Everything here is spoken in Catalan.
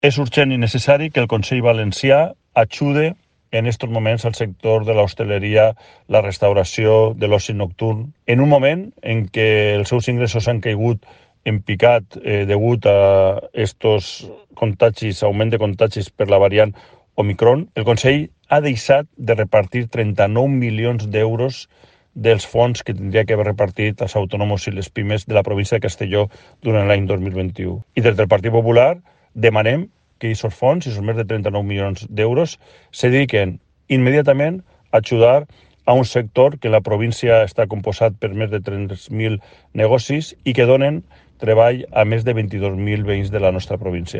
És urgent i necessari que el Consell Valencià ajude en estos moments al sector de l'hostaleria, la restauració, de l'oci nocturn, en un moment en què els seus ingressos han caigut en picat degut a estos contagis, augment de contagis per la variant Omicron. El Consell ha deixat de repartir 39 milions d'euros dels fons que tindria que haver repartit als autònoms i les pimes de la província de Castelló durant l'any 2021. I des del Partit Popular demanem que aquests fons, aquests més de 39 milions d'euros, se dediquen immediatament a ajudar a un sector que la província està composat per més de 3.000 negocis i que donen treball a més de 22.000 veïns de la nostra província.